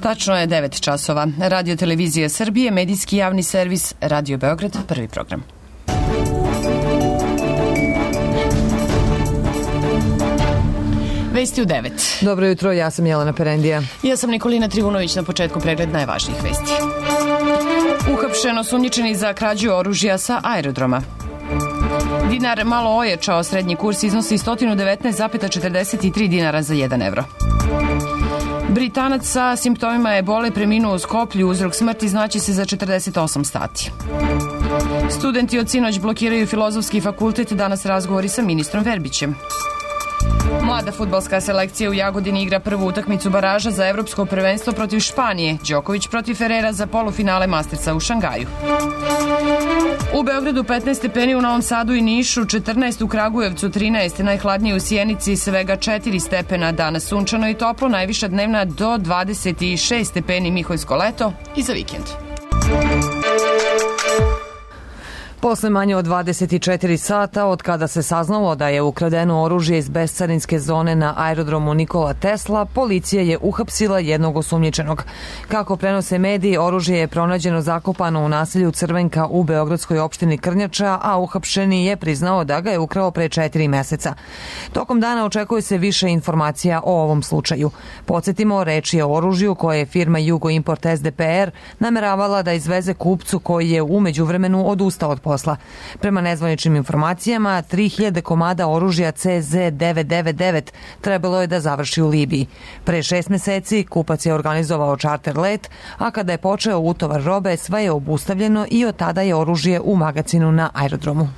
Tačno je 9 časova. Radio Televizija Srbije, medijski javni servis, Radio Beograd, prvi program. Vesti u 9. Dobro jutro, ja sam Jelena Perendija. Ja sam Nikolina Trivunović, na početku pregled najvažnijih vesti. Uhapšen osumnjičeni za krađu oružja sa aerodroma. Dinar malo ojačao, srednji kurs iznosi 119,43 dinara za 1 evro. Britanac sa simptomima ebole preminuo u Skoplju, uzrok smrti znaće se za 48 sati. Studenti od sinoć blokiraju Filozofski fakultet, danas razgovori sa ministrom Verbićem. Mlada fudbalska selekcija u Jagodini igra prvu utakmicu baraža za evropsko prvenstvo protiv Španije. Đoković protiv Ferrera za polufinale Mastersa u Šangaju. U Beogradu 15 stepeni, u Novom Sadu i Nišu 14, u Kragujevcu 13, najhladnije u Sjenici svega 4 stepena, danas sunčano i toplo, najviša dnevna do 26 stepeni, Miholjsko leto i za vikend. Posle manje od 24 sata od kada se saznalo da je ukradeno oružje iz bescarinske zone na aerodromu Nikola Tesla, policija je uhapsila jednog osumnjičenog. Kako prenose mediji, oružje je pronađeno zakopano u naselju Crvenka u beogradskoj opštini Krnjača, a uhapšeni je priznao da ga je ukrao pre 4 meseca. Tokom dana očekuje se više informacija o ovom slučaju. Podsjetimo, reč je o oružju koje je firma Jugo Import SDPR nameravala da izveze kupcu koji je u međuvremenu odustao od posla. Prema nezvaničnim informacijama, 3000 komada oružja CZ999 trebalo je da završi u Libiji. Pre 6 meseci kupac je organizovao čarter let, a kada je počeo utovar robe, sve je obustavljeno i od tada je oružje u magacinu na aerodromu.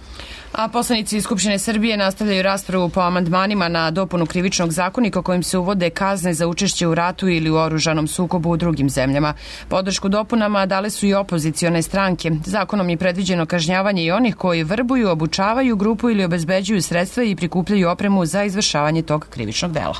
A poslanici Skupštine Srbije nastavljaju raspravu po amandmanima na dopunu krivičnog zakonika kojim se uvode kazne za učešće u ratu ili u oružanom sukobu u drugim zemljama. Podršku dopunama dale su i opozicione stranke. Zakonom je predviđeno kažnjavanje i onih koji vrbuju, obučavaju grupu ili obezbeđuju sredstva i prikupljaju opremu za izvršavanje tog krivičnog dela.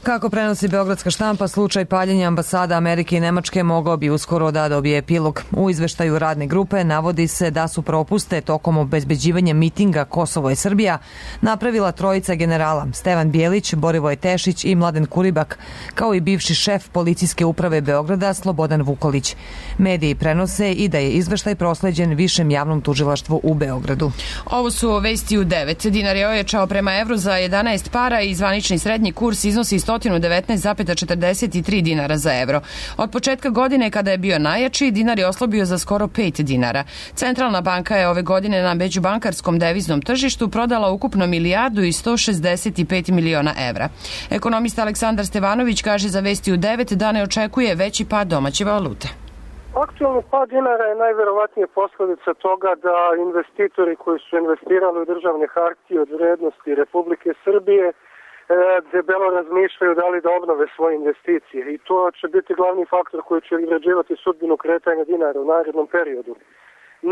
Kako prenosi beogradska štampa, slučaj paljenja ambasada Amerike i Nemačke mogao bi uskoro da dobije epilog. U izveštaju radne grupe navodi se da su propuste tokom obezbeđivanja mitinga Kosovo i Srbija napravila trojica generala Stevan Bjelić, Borivoje Tešić i Mladen Kuribak, kao i bivši šef policijske uprave Beograda Slobodan Vukolić. Mediji prenose i da je izveštaj prosleđen Višem javnom tužilaštvu u Beogradu. Ovo su vesti u 9. Dinar je ojačao prema evru za 11 para i zvanični srednji kurs iznosi 119,43 dinara za evro. Od početka godine, kada je bio najjači, dinar je oslabio za skoro 5 dinara. Centralna banka je ove godine na međubankarskom deviznom tržištu prodala ukupno 1.165 miliona evra. Ekonomista Aleksandar Stevanović kaže za vesti u 9 da ne očekuje veći pad domaće valute. Aktualni pad dinara je najverovatnije posledica toga da investitori koji su investirali u državne hartije od vrednosti Republike Srbije debelo razmišljaju da li da obnove svoje investicije i to će biti glavni faktor koji će određivati sudbinu kretanja dinara u narednom periodu.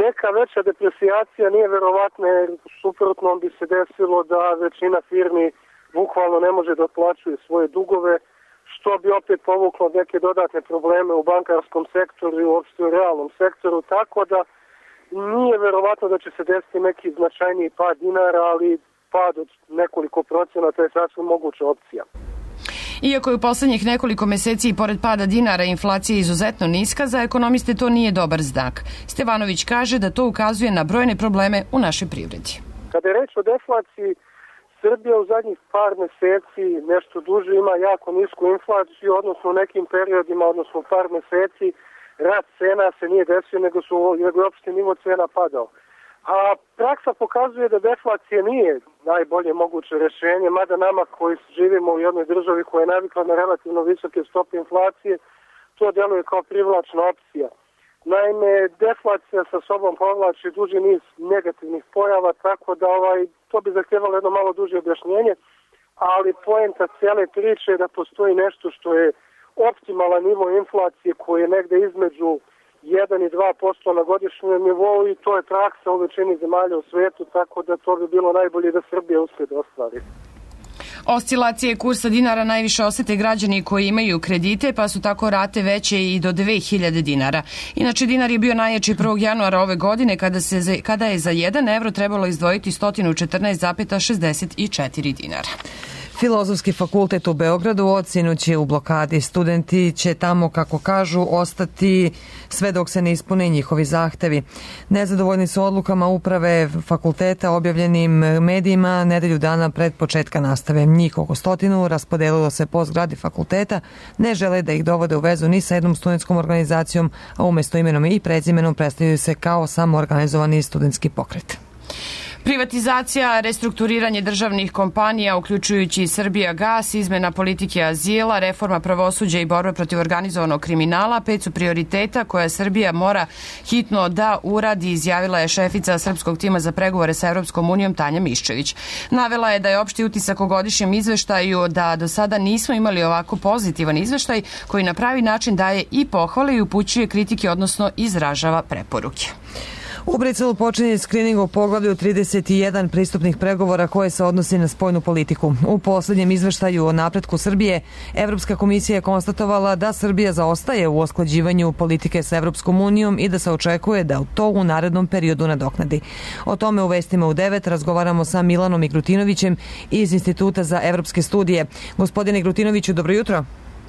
Neka veća depresijacija nije verovatna, jer suprotno bi se desilo da većina firmi bukvalno ne može da otplaćuje svoje dugove, što bi opet povuklo neke dodatne probleme u bankarskom sektoru i uopšte u realnom sektoru, tako da nije verovatno da će se desiti neki značajniji pad dinara, ali pad od nekoliko procenata je sasvim moguća opcija. Iako je u poslednjih nekoliko meseci i pored pada dinara inflacija izuzetno niska, za ekonomiste to nije dobar znak. Stevanović kaže da to ukazuje na brojne probleme u našoj privredi. Kada je reč o deflaciji, Srbija u zadnjih par meseci nešto duže ima jako nisku inflaciju, odnosno u nekim periodima, odnosno par meseci, rast cena se nije desio, nego je opšte nivo cena padao. A praksa pokazuje da deflacija nije najbolje moguće rešenje, mada nama koji živimo u jednoj državi koja je navikla na relativno visoke stope inflacije, to deluje kao privlačna opcija. Naime, deflacija sa sobom povlači duži niz negativnih pojava, tako da to bi zahtjevalo jedno malo duže objašnjenje, ali poenta cijele priče je da postoji nešto što je optimalan nivo inflacije koji je negde između 1 i 2% na godišnjem nivou i to je praksa u većini zemalja u svetu, tako da to bi bilo najbolje da Srbija uspije da ostvari. Oscilacije kursa dinara najviše osete građani koji imaju kredite, pa su tako rate veće i do 2000 dinara. Inače, dinar je bio najjači 1. januara ove godine kada je za 1 evro trebalo izdvojiti 114,64 dinara. Filozofski fakultet u Beogradu odsinoć je u blokadi. Studenti će tamo, kako kažu, ostati sve dok se ne ispune njihovi zahtevi. Nezadovoljni su odlukama uprave fakulteta objavljenim medijima nedelju dana pred početka nastave. Njih oko 100 raspodelilo se po zgradi fakulteta, ne žele da ih dovode u vezu ni sa jednom studentskom organizacijom, a umesto imenom i prezimenom predstavljaju se kao samoorganizovani studentski pokret. Privatizacija, restrukturiranje državnih kompanija, uključujući Srbijagas, izmena politike azila, reforma pravosuđa i borba protiv organizovanog kriminala, 5 su prioriteta koja Srbija mora hitno da uradi, izjavila je šefica srpskog tima za pregovore sa Evropskom unijom Tanja Miščević. Navela je da je opšti utisak o godišnjem izveštaju da do sada nismo imali ovako pozitivan izveštaj koji na pravi način daje i pohvale i upućuje kritike, odnosno izražava preporuke. U Briselu počinje skrining u poglavlju 31 pristupnih pregovora koje se odnosi na spoljnu politiku. U poslednjem izveštaju o napretku Srbije, Evropska komisija je konstatovala da Srbija zaostaje u usklađivanju politike sa Evropskom unijom i da se očekuje da to u narednom periodu nadoknadi. O tome u vestima u 9 razgovaramo sa Milanom Igrutinovićem iz Instituta za evropske studije. Gospodine Igrutinoviću, dobro jutro.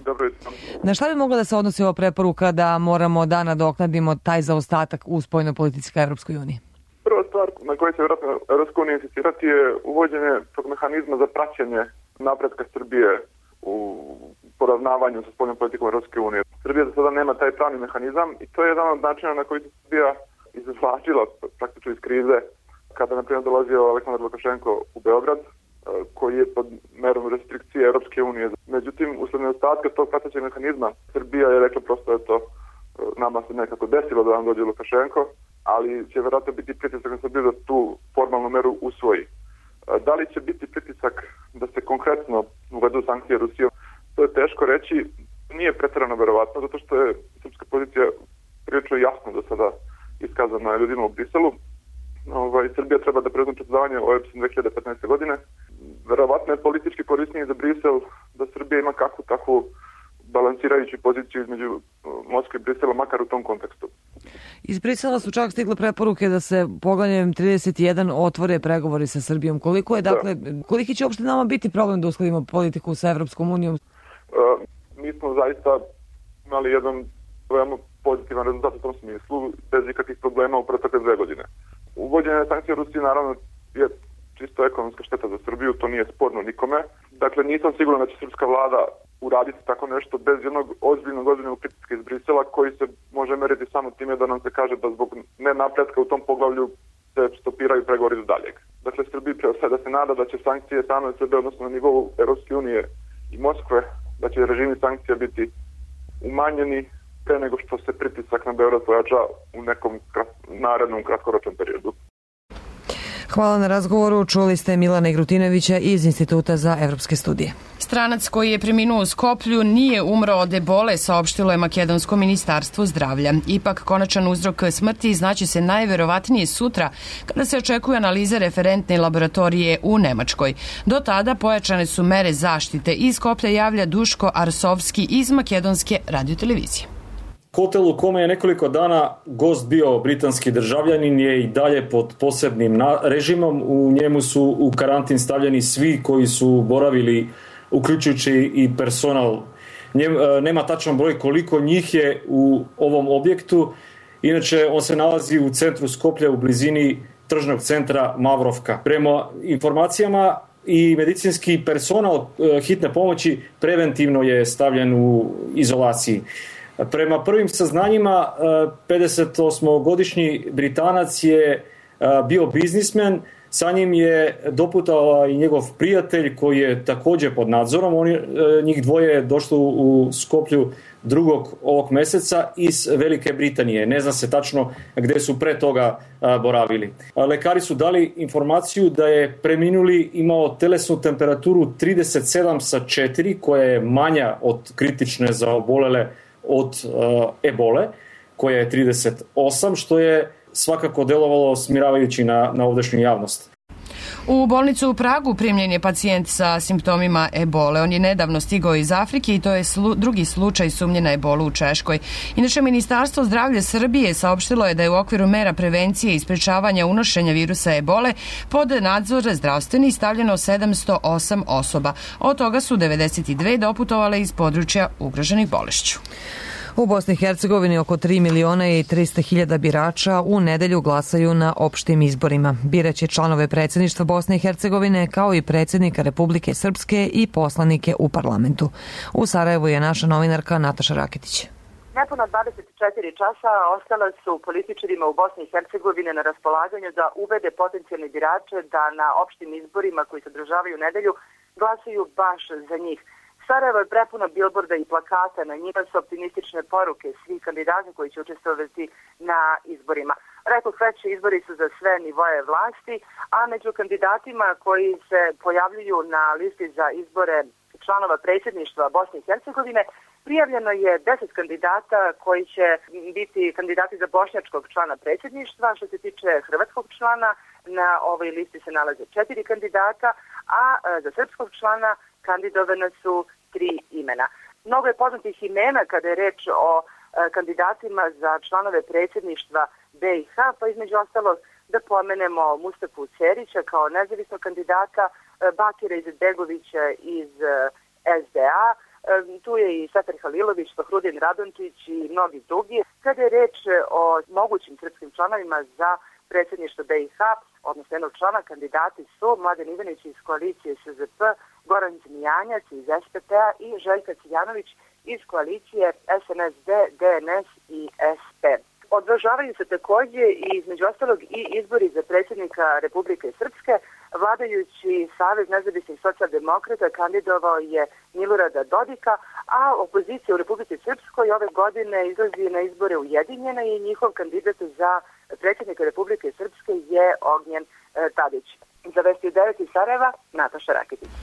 Dobro jutro. Na šta bi mogla da se odnosi ova preporuka da moramo da nadoknadimo taj zaostatak u spoljnoj politici ka Evropskoj uniji? Prva stvar na kojoj će vjerojatno Evropska unija insistirati je uvođenje tog mehanizma za praćenje napretka Srbije u poravnavanju sa spoljnom politikom Evropske unije. Srbija za sada nema taj pravni mehanizam i to je jedan od načina na koji se Srbija izvlačila praktično iz krize kada, na primjer, dolazio Aleksandar Lukašenko u Beograd, koji je pod merom restrikcije Evropske unije. Međutim, usled nedostatka tog pratećeg mehanizma, Srbija je rekla prosto da to nama se nekako desilo da nam dođe Lukašenko, ali će vjerojatno biti pritisak na Srbiju da tu formalnu meru usvoji. Da li će biti pritisak da se konkretno uvedu sankcije Rusijom, to je teško reći. Nije pretjerano verovatno, zato što je srpska pozicija prilično jasno do sada iskazana ljudima u Briselu. Srbija treba da preuzme predsedavanje OEBS-om 2015. godine. Verovatno je politički korisnije za Brisel da Srbija ima kakvu takvu balansirajuću poziciju između Moskve i Brisela, makar u tom kontekstu. Iz Brisela su čak stigle preporuke da se poglavljem 31 otvore pregovori sa Srbijom. Koliki će uopšte nama biti problem da uskladimo politiku sa Evropskom unijom? Mi smo zaista imali jedan veoma pozitivan rezultat u tom smislu, bez ikakvih problema u protekle 2 godine. Uvođenje sankcija Rusije naravno je čisto ekonomska šteta za Srbiju, to nije sporno nikome. Dakle, nisam siguran da će srpska vlada uraditi tako nešto bez jednog ozbiljnog pritiska iz Brisela, koji se može meriti samo time da nam se kaže da zbog nenapretka u tom poglavlju se stopiraju pregovori do daljeg. Dakle, Srbiji preostaje da se nada da će sankcije same od sebe, odnosno na nivou Evropske unije i Moskve, da će režimi sankcija biti umanjeni pre nego što se pritisak na Beograd pojača u nekom narednom kratkoročnom periodu. Hvala na razgovoru. Čuli ste Milana Igrutinovića iz Instituta za evropske studije. Stranac koji je preminuo u Skoplju nije umro od ebole, saopštilo je makedonsko ministarstvo zdravlja. Ipak, konačan uzrok smrti znaće se najverovatnije sutra, kada se očekuju analize referentne laboratorije u Nemačkoj. Do tada pojačane su mere zaštite. Iz Skoplja javlja Duško Arsovski iz makedonske radiotelevizije. Hotel u kome je nekoliko dana gost bio britanski državljanin je i dalje pod posebnim režimom. U njemu su u karantin stavljeni svi koji su boravili, uključujući i personal. Nema tačan broj koliko njih je u ovom objektu. Inače, on se nalazi u centru Skoplja u blizini tržnog centra Mavrovka. Prema informacijama, i medicinski personal hitne pomoći preventivno je stavljen u izolaciji. Prema prvim saznanjima, 58-godišnji Britanac je bio biznismen, sa njim je doputao i njegov prijatelj koji je također pod nadzorom. Njih dvoje je došlo u Skoplju 2. ovog meseca iz Velike Britanije. Ne zna se tačno gde su pre toga boravili. Lekari su dali informaciju da je preminuli imao telesnu temperaturu 37/4, koja je manja od kritične za obolele od ebole, koja je 38, što je svakako delovalo smiravajući na ovdašnju javnost. U bolnicu u Pragu primljen je pacijent sa simptomima ebole. On je nedavno stigao iz Afrike i to je drugi slučaj sumnje na ebolu u Češkoj. Inače, Ministarstvo zdravlja Srbije saopštilo je da je u okviru mera prevencije i sprečavanja unošenja virusa ebole pod nadzor zdravstveni stavljeno 708 osoba. Od toga su 92 doputovale iz područja ugroženih bolešću. U Bosni i Hercegovini oko 3.300.000 birača u nedelju glasaju na opštim izborima. Biraće članove predsjedništva Bosne i Hercegovine kao i predsjednika Republike Srpske i poslanike u parlamentu. U Sarajevu je naša novinarka Nataša Raketić. Nepuna 24 časa ostala su političarima u Bosni i Hercegovini na raspolaganju da uvede potencijalne birače da na opštim izborima koji se održavaju u nedelju glasaju baš za njih. Sarajevo je prepuno bilborda i plakata, na njima su optimistične poruke svih kandidata koji će učestvovati na izborima. Rekoh već, izbori su za sve nivoje vlasti, a među kandidatima koji se pojavljuju na listi za izbore članova predsjedništva Bosne i Hercegovine prijavljeno je 10 kandidata koji će biti kandidati za bošnjačkog člana predsjedništva. Što se tiče hrvatskog člana, na ovoj listi se nalaze 4 kandidata, a za srpskog člana kandidovane su 3 imena. Mnogo je poznatih imena kada je reč o kandidatima za članove predsjedništva BiH, pa između ostalog da pomenemo Mustafu Cerića kao nezavisnog kandidata, Bakira Izetbegovića iz SDA, tu je i Sefer Halilović, Fahrudin Radončić i mnogi drugi. Kada je reč o mogućim srpskim članovima za predsjedništvo BiH, odnosno jednog člana, kandidati su Mladen Ivanić iz koalicije SZP, Goran Zmijanjac iz SPP-a i Željka Ciljanović iz koalicije SNSD, DNS i SP. Održavaju se također i između ostalog i izbori za predsjednika Republike Srpske. Vladajući Savez nezavisnih socijaldemokrata kandidovao je Milorada Dodika, a opozicija u Republike Srpskoj ove godine izlazi na izbore Ujedinjena i njihov kandidat za predsjednika Republike Srpske je Ognjen Tadić. Za Vesti 9 iz Sarajeva, Nataša Raketić.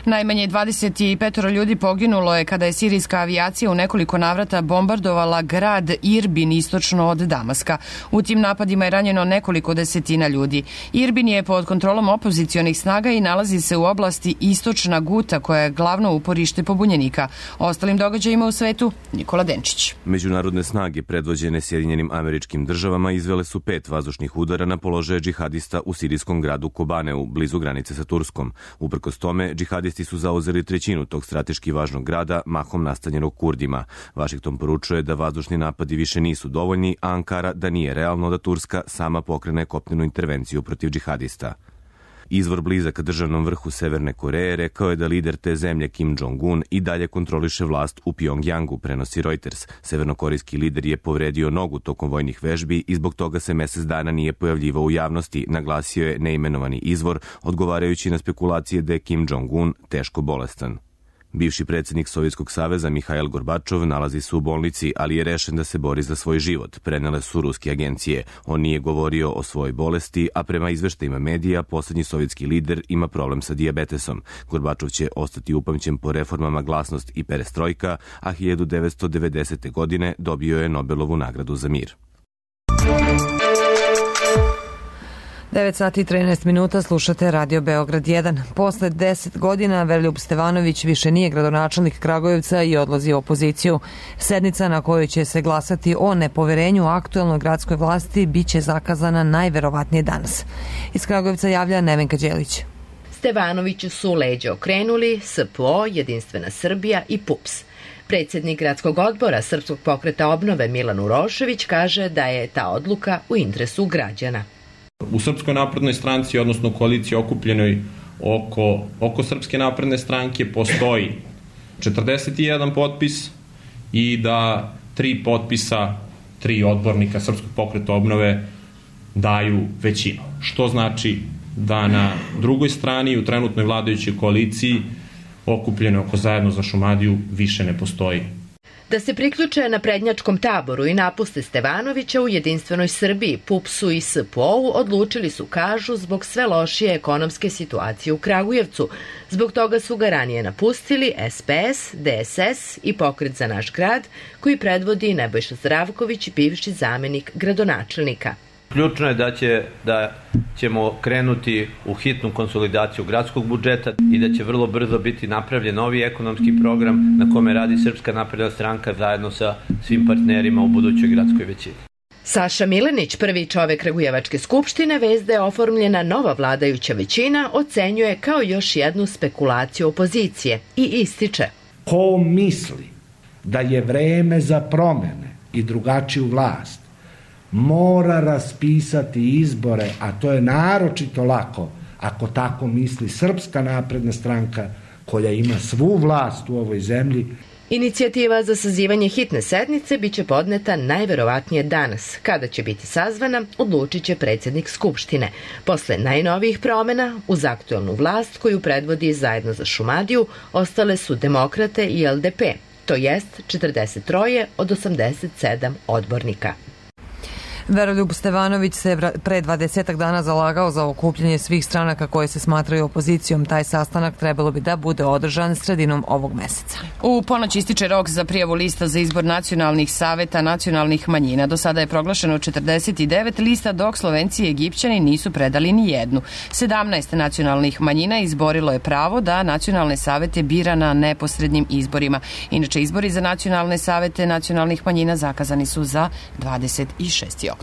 Najmanje 25 ljudi poginulo je kada je sirijska avijacija u nekoliko navrata bombardovala grad Irbin istočno od Damaska. U tim napadima je ranjeno nekoliko desetina ljudi. Irbin je pod kontrolom opozicionih snaga i nalazi se u oblasti Istočna Guta, koja je glavno uporište pobunjenika. O ostalim događajima u svetu, Nikola Denčić. Međunarodne snage predvođene Sjedinjenim Američkim Državama izvele su 5 vazdušnih udara na položaje džihadista u sirijskom gradu Kobaneu, blizu granice sa Turskom. Uprkos tome, džihadisti su zauzeli trećinu tog strateški važnog grada, mahom nastanjenog Kurdima. Vašington poručuje da vazdušni napadi više nisu dovoljni, a Ankara da nije realno da Turska sama pokrene kopnenu intervenciju protiv džihadista. Izvor blizak državnom vrhu Severne Koreje rekao je da lider te zemlje Kim Jong-un i dalje kontroliše vlast u Pjongjangu, prenosi Reuters. Severnokorejski lider je povredio nogu tokom vojnih vežbi i zbog toga se mjesec dana nije pojavljivao u javnosti, naglasio je neimenovani izvor, odgovarajući na spekulacije da je Kim Jong-un teško bolestan. Bivši predsjednik Sovjetskog saveza Mihail Gorbačov nalazi se u bolnici, ali je rešen da se bori za svoj život, prenele su ruske agencije. On nije govorio o svojoj bolesti, a prema izveštajima medija, posljednji sovjetski lider ima problem sa dijabetesom. Gorbačov će ostati upamćen po reformama Glasnost i Perestrojka, a 1990. godine dobio je Nobelovu nagradu za mir. 9 sati i 13 minuta, slušate Radio Beograd 1. Posle 10 godina Veroljub Stevanović više nije gradonačelnik Kragujevca i odlazi u opoziciju. Sednica na kojoj će se glasati o nepoverenju aktuelnoj gradskoj vlasti biće zakazana najverovatnije danas. Iz Kragujevca javlja Nevenka Đelić. Stevanoviću su leđa okrenuli SPO, Jedinstvena Srbija i PUPS. Predsjednik gradskog odbora Srpskog pokreta obnove Milan Urošević kaže da je ta odluka u interesu građana. U Srpskoj naprednoj stranci, odnosno koaliciji okupljenoj oko Srpske napredne stranke, postoji 41 potpis i da 3 potpisa, 3 odbornika Srpskog pokreta obnove daju većinu. Što znači da na drugoj strani u trenutnoj vladajućoj koaliciji okupljenoj oko Zajedno za Šumadiju više ne postoji. Da se priključe na prednjačkom taboru i napuste Stevanovića u Jedinstvenoj Srbiji, PUPS-u i SPO-u odlučili su, kažu, zbog sve lošije ekonomske situacije u Kragujevcu. Zbog toga su ga ranije napustili SPS, DSS i Pokret za naš grad, koji predvodi Nebojša Zdravković, bivši zamenik gradonačelnika. Ključno je da ćemo krenuti u hitnu konsolidaciju gradskog budžeta i da će vrlo brzo biti napravljen novi ekonomski program na kome radi Srpska napredna stranka zajedno sa svim partnerima u budućoj gradskoj većini. Saša Milenić, prvi čovek Kragujevačke skupštine, vez da je oformljena nova vladajuća većina, ocenjuje kao još jednu spekulaciju opozicije i ističe. Ko misli da je vreme za promene i drugačiju vlast, mora raspisati izbore, a to je naročito lako ako tako misli Srpska napredna stranka koja ima svu vlast u ovoj zemlji. Inicijativa za sazivanje hitne sednice biće podneta najverovatnije danas. Kada će biti sazvana, odlučit će predsjednik Skupštine. Posle najnovijih promjena, uz aktuelnu vlast koju predvodi Zajedno za Šumadiju, ostale su Demokrate i LDP, to jest 43 od 87 odbornika. Veroljub Stevanović se pre 20 dana zalagao za okupljanje svih stranaka koje se smatraju opozicijom. Taj sastanak trebalo bi da bude održan sredinom ovog meseca. U ponoć ističe rok za prijavu lista za izbor nacionalnih saveta nacionalnih manjina. Do sada je proglašeno 49 lista, dok Slovenci i Egipćani nisu predali ni jednu. 17 nacionalnih manjina izborilo je pravo da nacionalne savete bira na neposrednim izborima. Inače, izbori za nacionalne savete nacionalnih manjina zakazani su za 26. oktobar.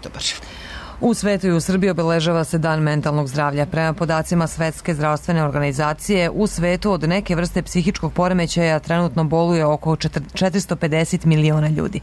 U svetu i u Srbiji obeležava se Dan mentalnog zdravlja. Prema podacima Svetske zdravstvene organizacije, u svetu od neke vrste psihičkog poremećaja trenutno boluje oko 450 miliona ljudi.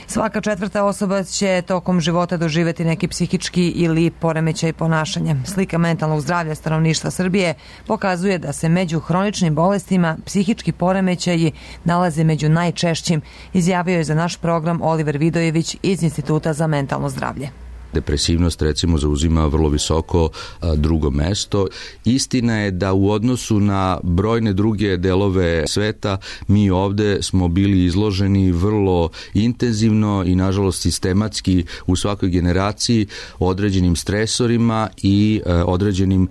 Svaka četvrta osoba će tokom života doživjeti neki psihički ili poremećaj ponašanja. Slika mentalnog zdravlja stanovništva Srbije pokazuje da se među hroničnim bolestima psihički poremećaji nalaze među najčešćim, izjavio je za naš program Oliver Vidojević iz Instituta za mentalno zdravlje. Depresivnost recimo zauzima vrlo visoko drugo mesto. Istina je da u odnosu na brojne druge delove sveta mi ovde smo bili izloženi vrlo intenzivno i nažalost sistematski u svakoj generaciji određenim stresorima i određenim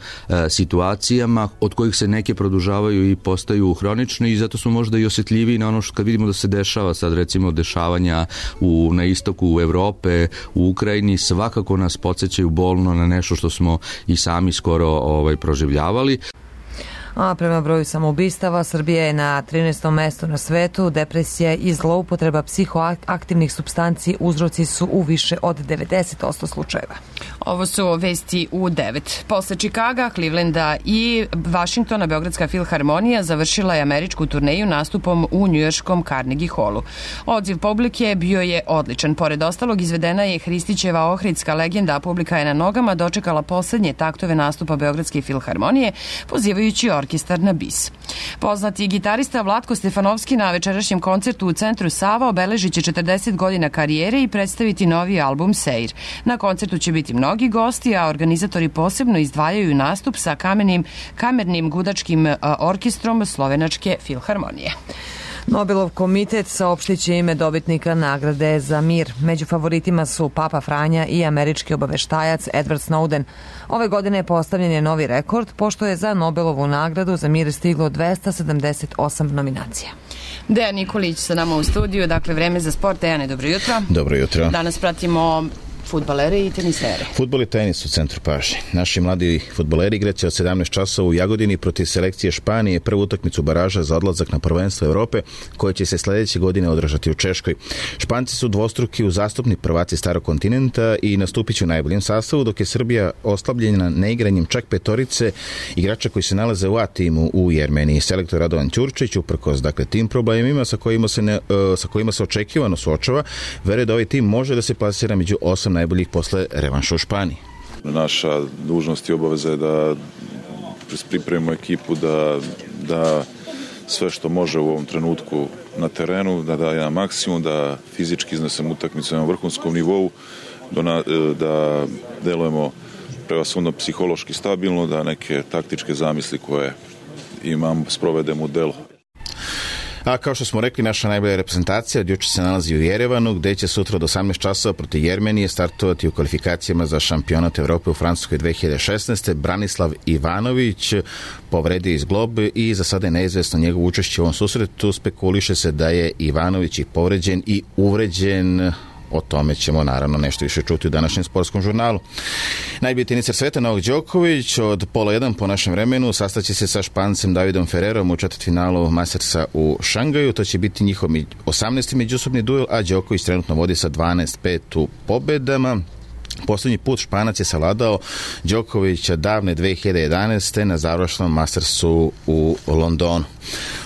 situacijama od kojih se neke produžavaju i postaju hronične i zato smo možda i osjetljiviji na ono što kad vidimo da se dešava sad recimo dešavanja na istoku Evrope, u Ukrajini, svakako nas podsjećaju bolno na nešto što smo i sami skoro proživljavali. A prema broju samoubistava, Srbija je na 13. mestu na svetu. Depresija i zloupotreba psihoaktivnih supstanci uzroci su u više od 90% slučajeva. Ovo su vesti u 9. Posle Čikaga, Clevelanda i Vašingtona, Beogradska filharmonija završila je američku turneju nastupom u njujorškom Carnegie Hallu. Odziv publike bio je odličan. Pored ostalog, izvedena je Hristićeva ohridska legenda, a publika je na nogama dočekala poslednje taktove nastupa Beogradske filharmonije, pozivajući orkestar na bis. Poznati gitarista Vlatko Stefanovski na večerašnjem koncertu u centru Sava obeležit će 40 godina karijere i predstaviti novi album Seir. Na koncertu će biti mnogi gosti, a organizatori posebno izdvajaju nastup sa kamernim gudačkim orkestrom Slovenačke filharmonije. Nobelov komitet saopštit će ime dobitnika nagrade za mir. Među favoritima su Papa Franja i američki obaveštajac Edward Snowden. Ove godine postavljen je novi rekord, pošto je za Nobelovu nagradu za mir stiglo 278 nominacija. Dejan Nikolić sa nama u studiju, dakle vreme za sport. Dejane, dobro jutro. Dobro jutro. Danas pratimo fudbalere i tenisere. Fudbal i tenis u centru pažnje. Naši mladi fudbaleri igraće od 17 časova u Jagodini protiv selekcije Španije prvu utakmicu baraža za odlazak na prvenstvo Evrope koje će se sledeće godine održati u Češkoj. Španci su dvostruki uzastopni prvaci starog kontinenta i nastupit će u najboljem sastavu, dok je Srbija oslabljena neigranjem čak petorice igrača koji se nalaze u A timu u Jermeniji. Selektor Radovan Ćurčić, uprkos tim problemima sa kojima se očekivano suočava, veruje da ovaj tim može da se plasira među 8 najboljih posle revanša u Španiji. Naša dužnost i obaveza je da pripremimo ekipu da sve što može u ovom trenutku na terenu, da daje na maksimum, da fizički iznesemo utakmicu na vrhunskom nivou, da delujemo prevashodno psihološki stabilno, da neke taktičke zamisli koje imam sprovedemo u delo. A kao što smo rekli, naša najbolja reprezentacija od juče se nalazi u Jerevanu, gde će sutra od 18 časova protiv Jermenije startovati u kvalifikacijama za šampionat Evrope u Francuskoj 2016. Branislav Ivanović povredio iz glob i za sada je neizvesno njegovo učešće u ovom susretu. Spekuliše se da je Ivanović i povređen i uvređen o tome ćemo naravno nešto više čuti u današnjem sportskom žurnalu. Najbolji teniser sveta Novak Đoković od 12:30 po našem vremenu sastaće se sa Špancem Davidom Ferrerom u četvrtfinalu Mastersa u Šangaju. To će biti njihov 18. međusobni duel, a Đoković trenutno vodi sa 12-5 u pobedama. Poslednji put Španac je savladao Đokovića davne 2011. na završnom Mastersu u Londonu.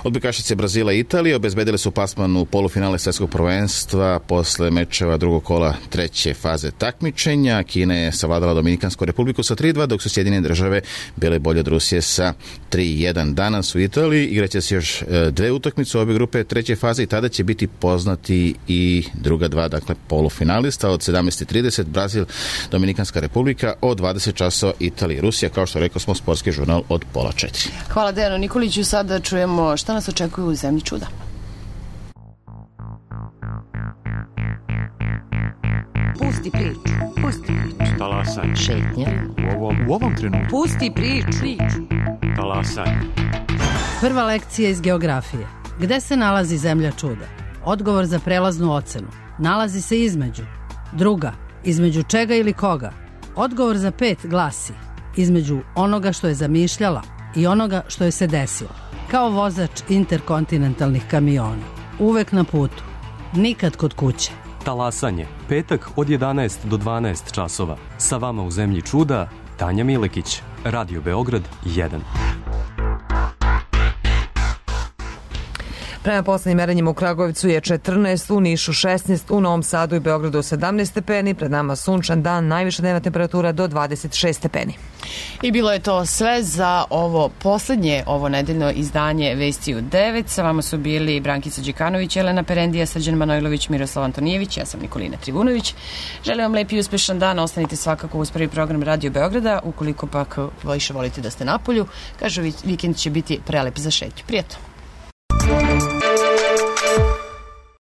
Odbojkašice Brazila i Italije obezbedile su plasman u polufinale svetskog prvenstva posle mečeva drugog kola treće faze takmičenja. Kina je savladala Dominikansku republiku sa 3:2, dok su Sjedinjene Države bile bolje od Rusije sa 3:1. Danas u Italiji igraće se još dve utakmice u obe grupe treće faze i tada će biti poznati i druga dva, dakle polufinalista. Od 17:30 Brazil, Dominikanska republika, od 20 časova Italija i Rusija. Kao što rekao smo, sportski žurnal od 3:30. Hvala Dejanu Nikoliću. Sada čujemo šta nas očekuje u zemlji čuda. Pusti priču. Pusti priču. Talasanje. Šetnja. U ovom trenutku. Pusti priču. Talasanje. Prva lekcija iz geografije. Gde se nalazi zemlja čuda? Odgovor za prelaznu ocenu. Nalazi se između. Druga. Između čega ili koga? Odgovor za 5 glasi: između onoga što je zamišljala i onoga što je se desilo. Kao vozač interkontinentalnih kamiona. Uvek na putu. Nikad kod kuće. Talasanje. Petak od 11 do 12 časova. Sa vama u zemlji čuda, Tanja Milekić. Radio Beograd 1. Prema poslednjim merenjima u Kragujevcu je 14, u Nišu 16, u Novom Sadu i Beogradu 17 stepeni, pred nama sunčan dan, najviša dnevna temperatura do 26 stepeni. I bilo je to sve za ovo poslednje, ovo nedeljno izdanje Vesti u 9. Sa vama su bili Brankica Đikanović, Jelena Perendija, Srđan Manojlović, Miroslav Antonijević, ja sam Nikolina Trivunović. Želim vam lep i uspešan dan, ostanite svakako uz prvi program Radio Beograda, ukoliko pak više volite da ste napolju, kažu vikend će biti prelep za šetnju. Prijetno.